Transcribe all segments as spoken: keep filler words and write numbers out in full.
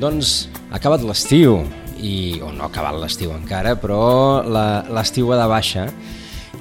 Doncs ha acabat l'estiu, i, o no ha acabat l'estiu encara, però la, l'estiu va de baixa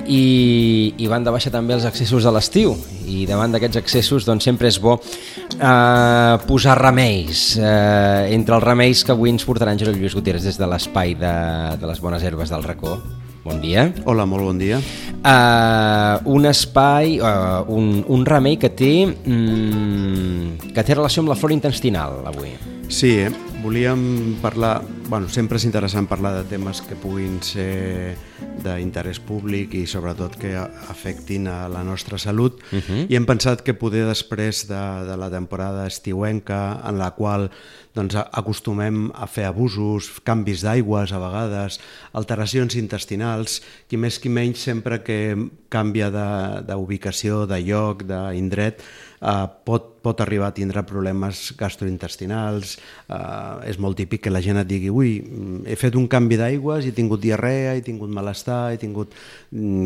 i, i van de baixa també els excessos de l'estiu, i davant d'aquests excessos doncs, sempre és bo eh, posar remeis. Eh, entre els remeis que avui ens portarà en Josep Lluís Gutiérrez des de l'espai de, de les bones herbes del Racó. Bon dia. Hola, molt bon dia. Uh, un espai, uh, un, un remei que té, mm, que té relació amb la flora intestinal avui. Sí, eh? volíem parlar... Bueno, sempre és interessant parlar de temes que puguin ser d'interès públic i sobretot que afectin a la nostra salut. Uh-huh. I hem pensat que poder després de, de la temporada estiuenca, en la qual doncs, acostumem a fer abusos, canvis d'aigües a vegades, alteracions intestinals, qui més qui menys sempre que canvia d'ubicació, de, de lloc, d'indret, eh, pot, pot arribar a tindre problemes gastrointestinals. Eh, és molt típic que la gent et digui ui, he fet un canvi d'aigües, he tingut diarrea, he tingut malestar, he tingut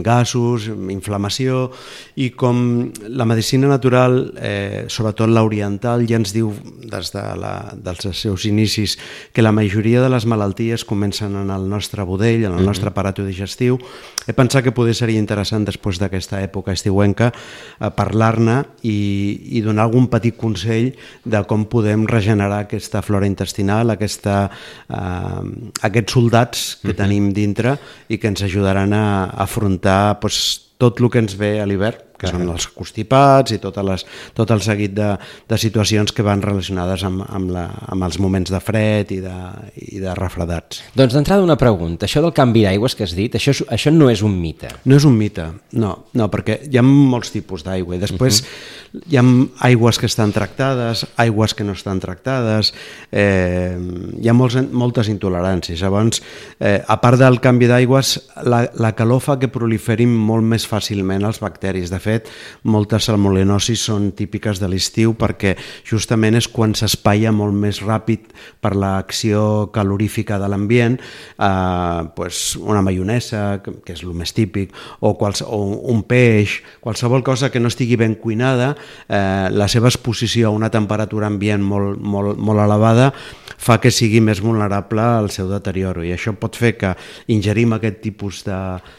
gasos, inflamació, i com la medicina natural, eh, sobretot l'oriental, ja ens diu des de la, dels seus inicis que la majoria de les malalties comencen en el nostre budell, en el nostre aparato digestiu. He pensat que poder seria interessant després d'aquesta època estiuenca eh, parlar-ne i, i donar algun petit consell de com podem regenerar aquesta flora intestinal, aquesta, eh, aquests soldats que uh-huh. tenim dintre i que ens ajudaran a, a afrontar pues, tot el que ens ve a l'hivern, que són els constipats i tot, les, tot el seguit de, de situacions que van relacionades amb, amb, la, amb els moments de fred i de, i de refredats. Doncs d'entrada una pregunta, això del canvi d'aigües que has dit, això, això no és un mite? No és un mite, no, no perquè hi ha molts tipus d'aigua i després uh-huh. hi ha aigües que estan tractades, aigües que no estan tractades, eh, hi ha molts, moltes intoleràncies. Llavors, eh, a part del canvi d'aigües, la, la calor fa que proliferin molt més fàcilment els bacteris. De fet, moltes salmonel·losis són típiques de l'estiu perquè justament és quan s'espaia molt més ràpid per l'acció calorífica de l'ambient, eh, pues una maionesa, que és el més típic, o, quals, o un peix, qualsevol cosa que no estigui ben cuinada, eh, la seva exposició a una temperatura ambient molt, molt, molt elevada fa que sigui més vulnerable al seu deterioro, i això pot fer que ingerim aquest tipus de,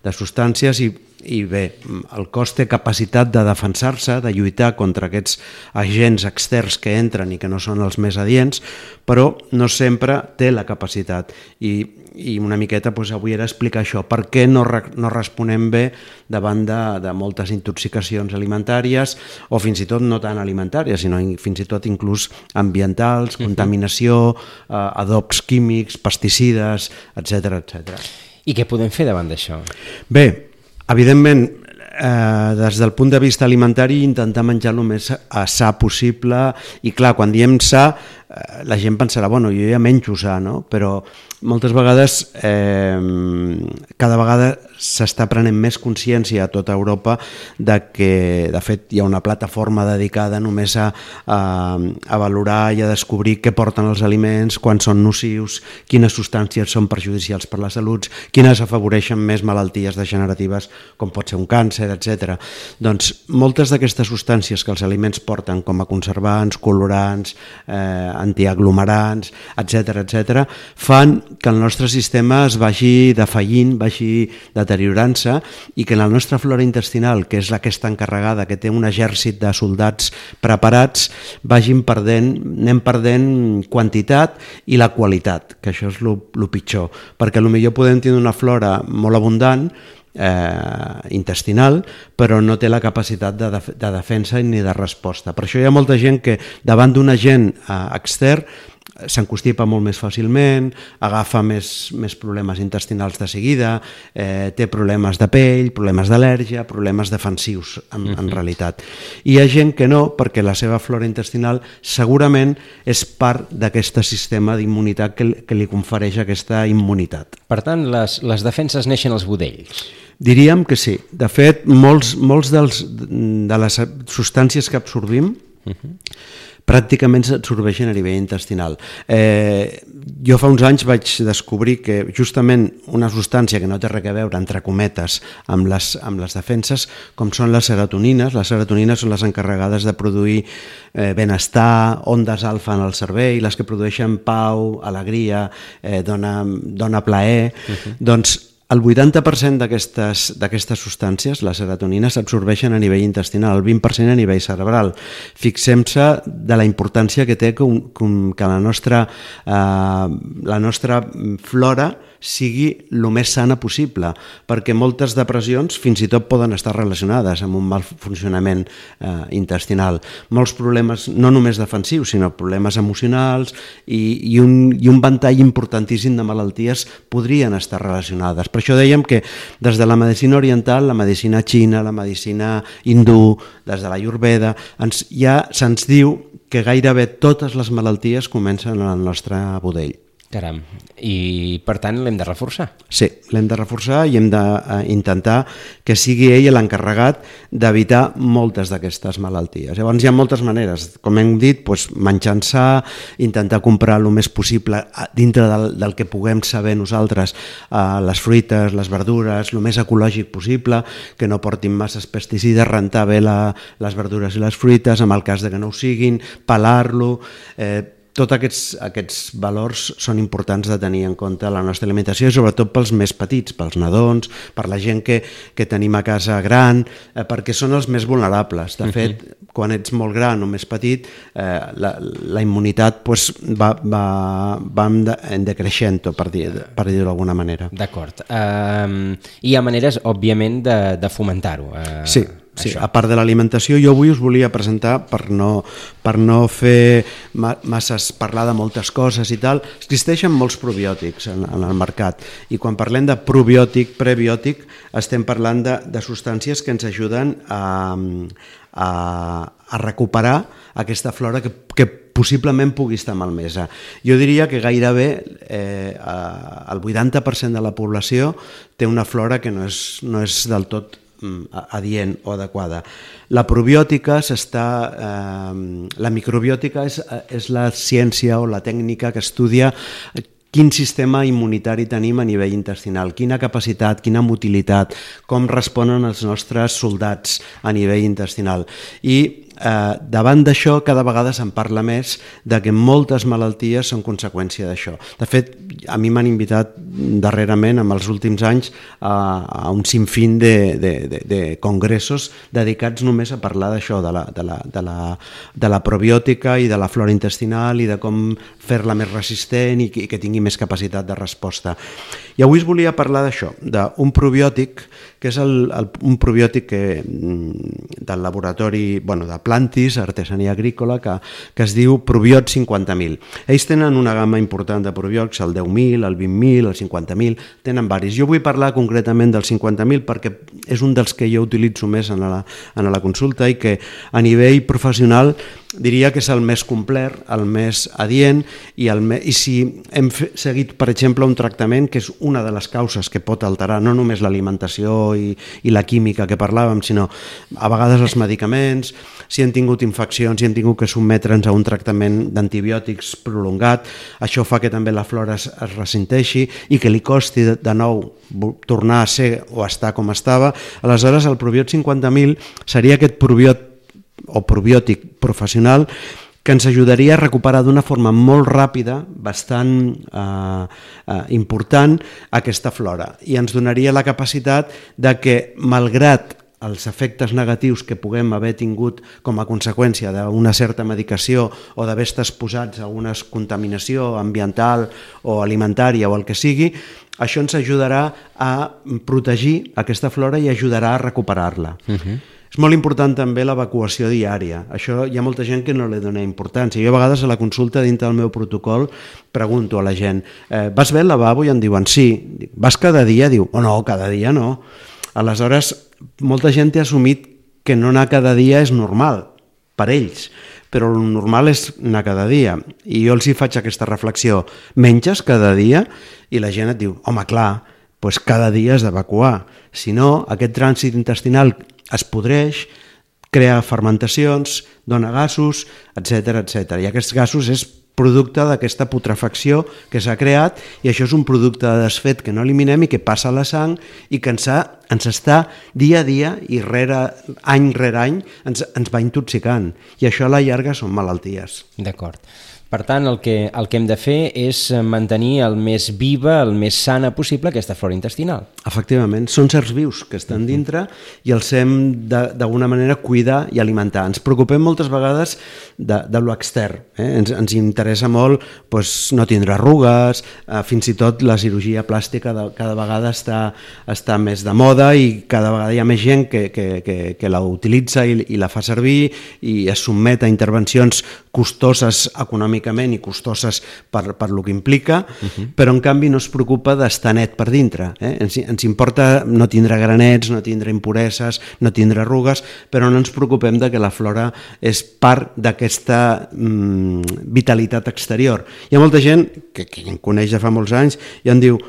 de substàncies i I bé, el cos té capacitat de defensar-se, de lluitar contra aquests agents externs que entren i que no són els més adients, però no sempre té la capacitat. I, i una miqueta doncs, avui era explicar això, per què no, re, no responem bé davant de, de moltes intoxicacions alimentàries, o fins i tot no tan alimentàries, sinó fins i tot inclús ambientals, contaminació, eh, adobs químics, pesticides, etcètera, etcètera. I què podem fer davant d'això? Bé, evidentment, eh, des del punt de vista alimentari, intentar menjar el més sa possible, i clar, quan diem sa, eh, la gent pensarà, bueno, jo ja menjo sa, no? Però moltes vegades, eh, cada vegada s'està prenent més consciència a tota Europa de que, de fet, hi ha una plataforma dedicada només a, a, a valorar i a descobrir què porten els aliments, quan són nocius, quines substàncies són perjudicials per la salut, quines afavoreixen més malalties degeneratives, com pot ser un càncer, etcètera. Doncs moltes d'aquestes substàncies que els aliments porten, com a conservants, colorants, eh, antiaglomerants, etcètera, etcètera, fan que el nostre sistema es vagi defallint, vagi deteriorant-se, i que la nostra flora intestinal, que és la que està encarregada, que té un exèrcit de soldats preparats, vagin perdent, anem perdent quantitat i la qualitat, que això és el pitjor, perquè potser podem tenir una flora molt abundant, Eh, intestinal, però no té la capacitat de, def de defensa ni de resposta. Per això hi ha molta gent que davant d'un agent eh, extern s'encostipa molt més fàcilment, agafa més, més problemes intestinals de seguida, eh, té problemes de pell, problemes d'al·lèrgia, problemes defensius en, en realitat. I hi ha gent que no, perquè la seva flora intestinal segurament és part d'aquest sistema d'immunitat que, que li confereix aquesta immunitat. Per tant, les, les defenses neixen als budells. Diríem que sí. De fet, molts, molts dels, de les substàncies que absorbim uh-huh. pràcticament s'absorbeixen a nivell intestinal. Eh, jo fa uns anys vaig descobrir que justament una substància que no té res a veure, entre cometes, amb les, amb les defenses, com són les serotonines. Les serotonines són les encarregades de produir eh, benestar, ondes alfa en el cervell, les que produeixen pau, alegria, eh, dona, dona plaer. Uh-huh. Doncs el vuitanta per cent d'aquestes d'aquestes substàncies, les serotonines, s'absorbeixen a nivell intestinal, el vint per cent a nivell cerebral. Fixem-se de la importància que té que, un, que la, nostra, eh, la nostra flora sigui el més sana possible, perquè moltes depressions fins i tot poden estar relacionades amb un mal funcionament eh, intestinal. Molts problemes, no només defensius, sinó problemes emocionals i, i, un, i un ventall importantíssim de malalties podrien estar relacionades. Per això dèiem que des de la medicina oriental, la medicina xina, la medicina hindú, des de la Ayurveda, ens, ja se'ns diu que gairebé totes les malalties comencen en el nostre budell. Caram, i per tant l'hem de reforçar. Sí, l'hem de reforçar i hem d'intentar que sigui ell l'encarregat d'evitar moltes d'aquestes malalties. Llavors hi ha moltes maneres, com hem dit, doncs, menjant sa, intentar comprar el més possible dintre del, del que puguem saber nosaltres, eh, les fruites, les verdures, el més ecològic possible, que no portin masses pesticides, rentar bé la, les verdures i les fruites, en el cas de que no ho siguin, pelar-lo, eh, tots aquests, aquests valors són importants de tenir en compte a la nostra alimentació, i sobretot pels més petits, pels nadons, per la gent que, que tenim a casa gran, eh, perquè són els més vulnerables. De fet, uh-huh. quan ets molt gran o més petit, eh, la, la immunitat pues, va, va, va en, de, en decreixent, per dir, per dir-ho d'alguna manera. D'acord. Um, hi ha maneres, òbviament, de, de fomentar-ho. Uh, sí. Sí, a part de l'alimentació, jo avui us volia presentar, per no, per no fer masses, parlar de moltes coses i tal, existeixen molts probiòtics en, en el mercat, i quan parlem de probiòtic, prebiòtic, estem parlant de, de substàncies que ens ajuden a, a, a recuperar aquesta flora que, que possiblement pugui estar malmesa. Jo diria que gairebé eh, el vuitanta per cent de la població té una flora que no és, no és del tot adient o adequada. La probiòtica s'està... Eh, la microbiòtica és, és la ciència o la tècnica que estudia quin sistema immunitari tenim a nivell intestinal, quina capacitat, quina motilitat, com responen els nostres soldats a nivell intestinal. I eh, davant d'això cada vegada se'n parla més de que moltes malalties són conseqüència d'això. De fet, a mi m'han invitat darrerament, en els últims anys, a, a un sinfín de, de, de, de congressos dedicats només a parlar d'això, de la, de, la, de, la, de la probiòtica i de la flora intestinal i de com fer-la més resistent i que, i que tingui més capacitat de resposta. I avui us volia parlar d'això, d'un probiòtic, que és el, el, un probiòtic que, del laboratori, bueno, de Plantis, artesania agrícola, que, que es diu Probiot cinquanta mil. Ells tenen una gamma important de probiòtics, el deu mil, el vint mil, el cinquanta mil, tenen varis. Jo vull parlar concretament del cinquanta mil perquè és un dels que jo utilitzo més en la, en la consulta i que a nivell professional diria que és el més complet, el més adient, i, el me... i si hem fe... seguit, per exemple, un tractament que és una de les causes que pot alterar no només l'alimentació i, i la química que parlàvem, sinó a vegades els medicaments, si hem tingut infeccions, si hem tingut que sotmetre'ns a un tractament d'antibiòtics prolongat, això fa que també la flora es, es ressenteixi i que li costi de, de nou tornar a ser o estar com estava. Aleshores, el Probiot cinquanta mil seria aquest probiot o probiòtic professional que ens ajudaria a recuperar d'una forma molt ràpida, bastant eh, eh, important, aquesta flora, i ens donaria la capacitat de que, malgrat els efectes negatius que puguem haver tingut com a conseqüència d'una certa medicació o d'haver estat exposats a una contaminació ambiental o alimentària o el que sigui, això ens ajudarà a protegir aquesta flora i ajudarà a recuperar-la. Uh-huh. És molt important també l'evacuació diària. Això hi ha molta gent que no li dona importància. Jo a vegades a la consulta dintre del meu protocol pregunto a la gent, eh, vas bé al lavabo? I em diuen sí. Vas cada dia? Diu, oh no, cada dia no. Aleshores, molta gent té assumit que no anar cada dia és normal per ells, però el normal és anar cada dia. I jo els hi faig aquesta reflexió, menges cada dia? I la gent et diu, home, clar, doncs cada dia has d'evacuar. Si no, aquest trànsit intestinal es podreix, crea fermentacions, dona gasos, etcètera, etcètera. I aquests gasos és producte d'aquesta putrefacció que s'ha creat i això és un producte de desfet que no eliminem i que passa a la sang i que ens, ha, ens està dia a dia i rere, any rere any ens, ens va intoxicant i això a la llarga són malalties. D'acord. Per tant, el que, el que hem de fer és mantenir el més viva, el més sana possible aquesta flora intestinal. Efectivament, són certs vius que estan dintre i els hem d'alguna manera cuidar i alimentar. Ens preocupem moltes vegades de, de lo extern. Eh? Ens, ens interessa molt pues, no tindre arrugues, eh, fins i tot la cirurgia plàstica de, cada vegada està, està més de moda i cada vegada hi ha més gent que, que, que, que la utilitza i, i la fa servir i es sotmet a intervencions costoses econòmicament i costoses per, per lo que implica, uh-huh. però en canvi no es preocupa d'estar net per dintre. Eh? Ens, ens importa no tindre granets, no tindre impureses, no tindre arrugues, però no ens preocupem de que la flora és part d'aquesta mm, vitalitat exterior. Hi ha molta gent que, que em coneix ja fa molts anys i em diu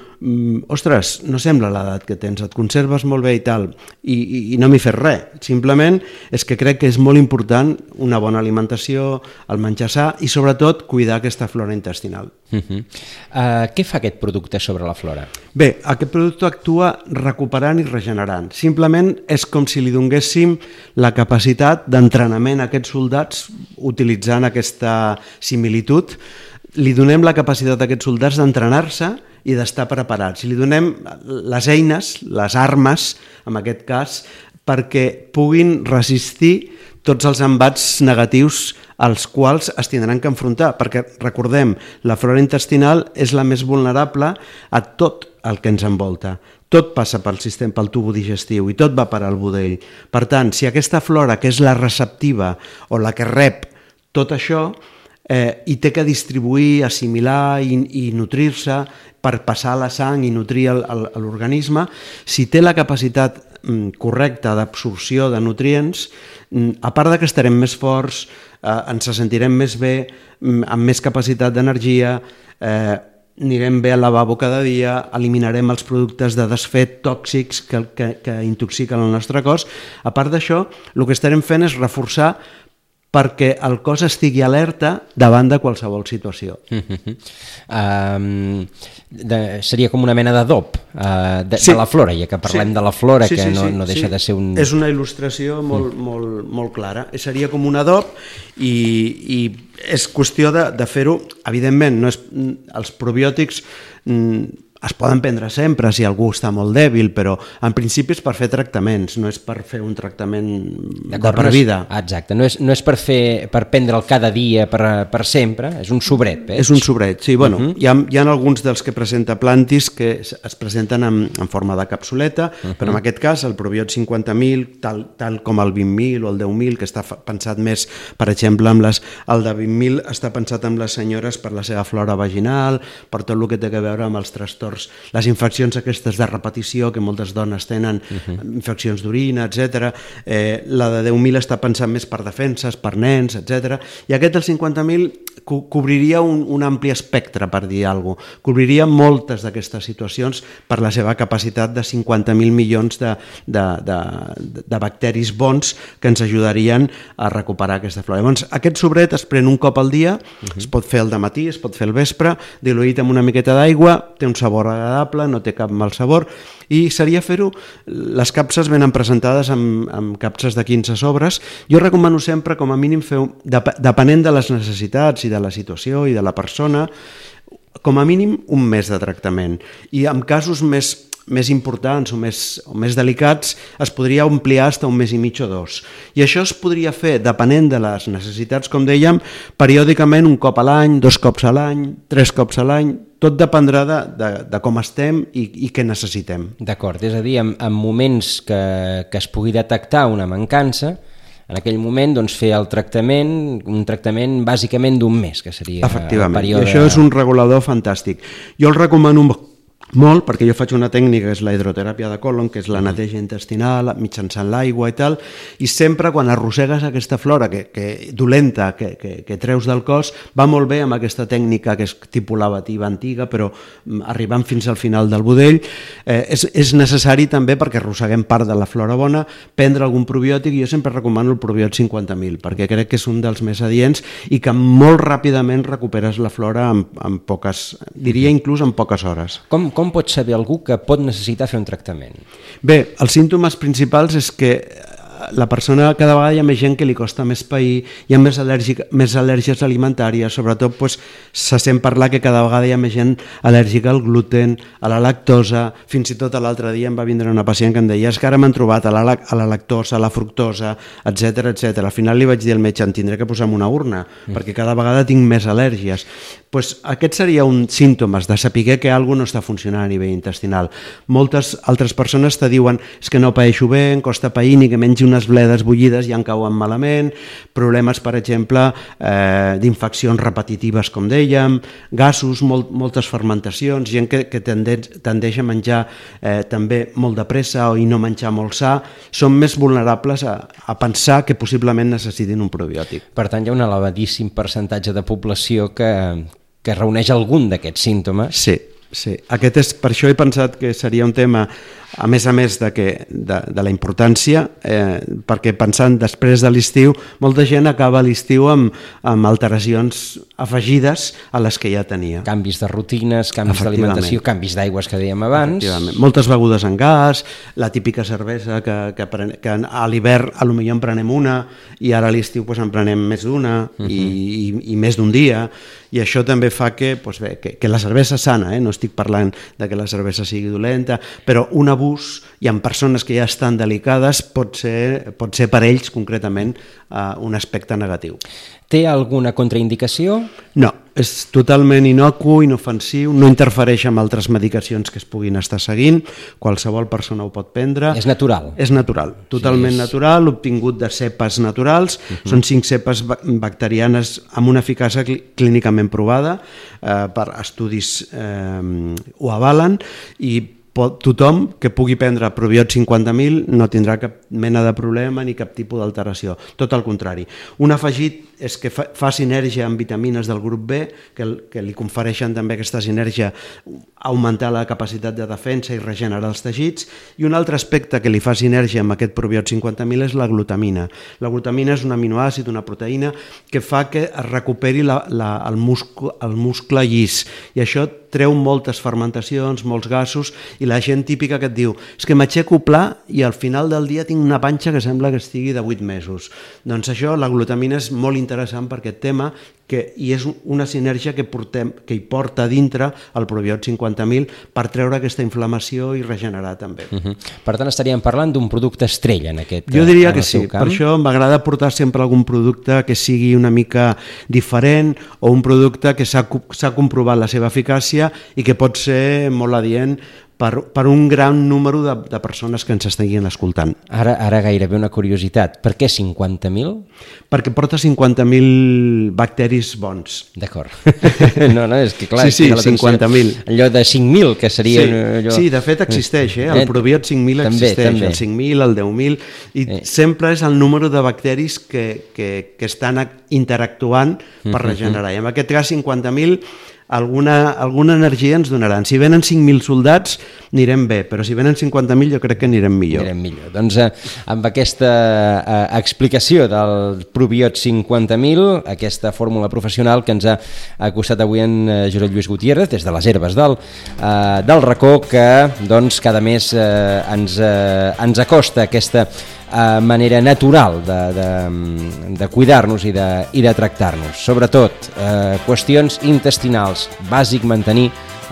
ostres, no sembla l'edat que tens, et conserves molt bé i tal, i, i, i no m'hi fes res. Simplement és que crec que és molt important una bona alimentació, el menjar sa i sobretot cuidar aquesta flora intestinal. Uh-huh. Uh, què fa aquest producte sobre la flora? Bé, aquest producte actua recuperant i regenerant. Simplement és com si li donéssim la capacitat d'entrenament a aquests soldats utilitzant aquesta similitud. Li donem la capacitat a aquests soldats d'entrenar-se i d'estar preparats. I li donem les eines, les armes, en aquest cas, perquè puguin resistir tots els embats negatius als quals es tindran que enfrontar, perquè recordem, la flora intestinal és la més vulnerable a tot el que ens envolta. Tot passa pel sistema, pel tubo digestiu i tot va per al budell. Per tant, si aquesta flora, que és la receptiva o la que rep tot això, eh, i té que distribuir, assimilar i, i nutrir-se per passar a la sang i nutrir el, el, l'organisme, si té la capacitat mm, correcta d'absorció de nutrients, mm, a part de que estarem més forts, eh, ens sentirem més bé, mm, amb més capacitat d'energia, eh, anirem bé al lavabo cada dia, eliminarem els productes de desfet tòxics que, que, que intoxiquen el nostre cos. A part d'això, el que estarem fent és reforçar perquè el cos estigui alerta davant de qualsevol situació. Uh-huh. Um, de, seria com una mena d'adob uh, de, sí. de la flora, ja que parlem sí. de la flora, sí, que sí, no, sí, no deixa sí. de ser un... És una il·lustració molt, mm. molt, molt clara. Seria com un adob i, i és qüestió de, de fer-ho, evidentment, no és, els probiòtics... Mm, es poden prendre sempre si algú està molt dèbil, però en principi és per fer tractaments, no és per fer un tractament de per vida. No és, exacte, no és, no és per, fer, per prendre'l cada dia per, per sempre, és un sobret. Veig? És un sobret, sí. Bueno, uh-huh. hi, ha, hi ha alguns dels que presenta Plantis que es presenten en, en forma de capsuleta, uh-huh. però en aquest cas el Probiot cinquanta mil, tal, tal com el vint mil o el deu mil, que està pensat més, per exemple, amb les, el de vint mil està pensat amb les senyores per la seva flora vaginal, per tot el que té a veure amb els trastorns, les infeccions aquestes de repetició que moltes dones tenen, uh-huh. infeccions d'orina, etcètera. Eh, la de deu mil està pensant més per defenses, per nens, etcètera. I aquest del cinquanta mil co- cobriria un, un ampli espectre, per dir alguna cosa. Cobriria moltes d'aquestes situacions per la seva capacitat de cinquanta mil milions de, de, de, de bacteris bons que ens ajudarien a recuperar aquesta flora. Llavors, aquest sobret es pren un cop al dia, uh-huh. es pot fer al dematí, es pot fer al vespre, diluït amb una miqueta d'aigua, té un sabor agradable, no té cap mal sabor, i seria fer-ho, les capses venen presentades amb, amb capses de quinze sobres. Jo recomano sempre, com a mínim, fer, dep- depenent de les necessitats i de la situació i de la persona, com a mínim un mes de tractament. I en casos més més importants o més, o més delicats es podria ampliar fins a un mes i mig o dos. I això es podria fer, depenent de les necessitats, com dèiem, periòdicament un cop a l'any, dos cops a l'any, tres cops a l'any, tot dependrà de, de, de com estem i, i què necessitem. D'acord, és a dir, en, en moments que, que es pugui detectar una mancança, en aquell moment doncs, fer el tractament, un tractament bàsicament d'un mes, que seria el període... Efectivament, i això és un regulador fantàstic. Jo el recomano Molt, perquè jo faig una tècnica que és la hidroteràpia de còlon, que és la neteja intestinal mitjançant l'aigua i tal, i sempre quan arrossegues aquesta flora que, que dolenta que, que, que treus del cos, va molt bé amb aquesta tècnica que és tipus lavativa antiga, però arribant fins al final del budell, eh, és, és necessari també, perquè arrosseguem part de la flora bona, prendre algun probiòtic, i jo sempre recomano el probiòtic cinquanta mil, perquè crec que és un dels més adients i que molt ràpidament recuperes la flora en, en poques, diria inclús en poques hores. Com, com pot saber algú que pot necessitar fer un tractament? Bé, els símptomes principals és que la persona, cada vegada hi ha més gent que li costa més pair, hi ha més, al·lèrgic, més al·lèrgies alimentàries, sobretot pues, se sent parlar que cada vegada hi ha més gent al·lèrgica al gluten, a la lactosa, fins i tot l'altre dia em va vindre una pacient que em deia és que ara m'han trobat a la, a la lactosa, a la fructosa, etcètera, etcètera. Al final li vaig dir al metge, em tindré que posar en una urna, mm. perquè cada vegada tinc més al·lèrgies. Pues aquest seria un símptomes de saber que alguna cosa no està funcionant a nivell intestinal. Moltes altres persones te diuen és que no paeixo bé, em costa pair, ni que mengi unes bledes bullides i en cauen malament, problemes, per exemple, eh, d'infeccions repetitives, com dèiem, gasos, molt, moltes fermentacions, gent que, que tendeix, tendeix a menjar eh, també molt de pressa o i no menjar molt sa, són més vulnerables a, a pensar que possiblement necessitin un probiòtic. Per tant, hi ha un elevadíssim percentatge de població que, que reuneix algun d'aquests símptomes. Sí. Sí, aquest és, per això he pensat que seria un tema, a més a més de, que, de, de la importància, eh, perquè pensant després de l'estiu, molta gent acaba l'estiu amb, amb alteracions afegides a les que ja tenia. Canvis de rutines, canvis d'alimentació, canvis d'aigües que dèiem abans. Moltes begudes en gas, la típica cervesa que, que, pren, que a l'hivern potser en prenem una i ara a l'estiu pues, en prenem més d'una uh-huh. i, i, i més d'un dia, i això també fa que, pues bé, que, que la cervesa és sana, eh? No estic parlant de que la cervesa sigui dolenta, però un abús, i en persones que ja estan delicades, pot ser, pot ser per ells concretament uh, un aspecte negatiu. Té alguna contraindicació? No, és totalment inocu, inofensiu, no interfereix amb altres medicacions que es puguin estar seguint, qualsevol persona ho pot prendre. És natural? És natural, totalment sí, és... natural, obtingut de cepes naturals, uh-huh. Són cinc cepes bacterianes amb una eficàcia clínicament provada, eh, per estudis eh, ho avalen, i pot, tothom que pugui prendre probiòtic cinquanta mil no tindrà cap mena de problema ni cap tipus d'alteració, tot al contrari. Un afegit és que fa, fa sinergia amb vitamines del grup B, que, que li confereixen també aquesta sinergia, augmentar la capacitat de defensa i regenerar els teixits, i un altre aspecte que li fa sinergia amb aquest probiòtic cinquanta mil és la glutamina. La glutamina és un aminoàcid, una proteïna, que fa que es recuperi la, la, el, muscle, el muscle llis, i això treu moltes fermentacions, molts gasos, i la gent típica que et diu és que m'aixeco pla i al final del dia tinc una panxa que sembla que estigui de vuit mesos. Doncs això, la glutamina és molt interessant per aquest tema, que, i és una sinergia que, portem, que hi porta dintre el probiòtic cinquanta mil per treure aquesta inflamació i regenerar també. Uh-huh. Per tant, estaríem parlant d'un producte estrella en aquest Jo diria que sí, per això m'agrada portar sempre algun producte que sigui una mica diferent, o un producte que s'ha comprovat la seva eficàcia i que pot ser molt adient per, per un gran número de, de persones que ens estiguin escoltant. Ara, ara gairebé una curiositat. Per què cinquanta mil? Perquè porta cinquanta mil bacteris bons. D'acord. No, no, és que clar... Sí, sí, cinquanta mil. Allò de cinc mil, que seria... Sí, allò... sí, de fet existeix, eh? El probiòtic cinc mil també, existeix, també. El cinc mil, el deu mil, i eh. sempre és el número de bacteris que, que, que estan interactuant per regenerar. I en aquest cas cinquanta mil... Alguna, alguna energia ens donaran. Si venen cinc mil soldats, anirem bé, però si venen cinquanta mil jo crec que anirem millor. Anirem millor. Doncs eh, amb aquesta eh, explicació del probiòtic cinquanta mil, aquesta fórmula professional que ens ha acostat avui en eh, Josep Lluís Gutiérrez, des de les herbes del, eh, del racó, que doncs, cada mes eh, ens, eh, ens acosta aquesta Uh, manera natural de, de, de cuidar-nos i de, i de tractar-nos. Sobretot, uh, qüestions intestinals, bàsic mantenir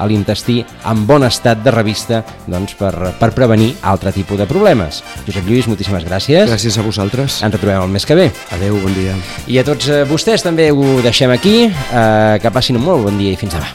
l'intestí en bon estat de revista, doncs, per, per prevenir altre tipus de problemes. Josep Lluís, moltíssimes gràcies. Gràcies a vosaltres. Ens retrobem el mes que ve. Adéu, bon dia. I a tots uh, vostès també ho deixem aquí. Uh, que passin un molt bon dia i fins demà.